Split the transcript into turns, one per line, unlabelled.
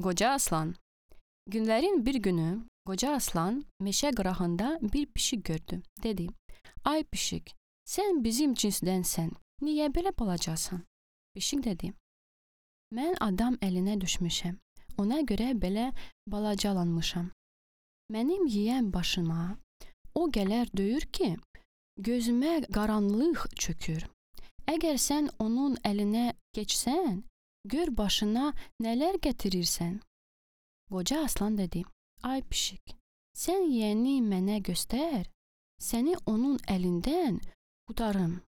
Qoca Aslan. Günlərin bir günü Qoca Aslan meşə qırağında bir pişik gördü. Dedi: "Ay pişik, sən bizim cinsdənsən. Niyə belə balacasan?" Pişik dedi: "Mən adam əlinə düşmüşəm. Ona görə belə balacalanmışam. Mənim yeyən başıma o gələr döyür ki, gözümə qaranlıq çökür. Əgər sən onun əlinə keçsən, gör başına nələr gətirirsən." Qoca Aslan dedi: "Ay pişik, sən yeyəni mənə göstər, səni onun əlindən qurtarım."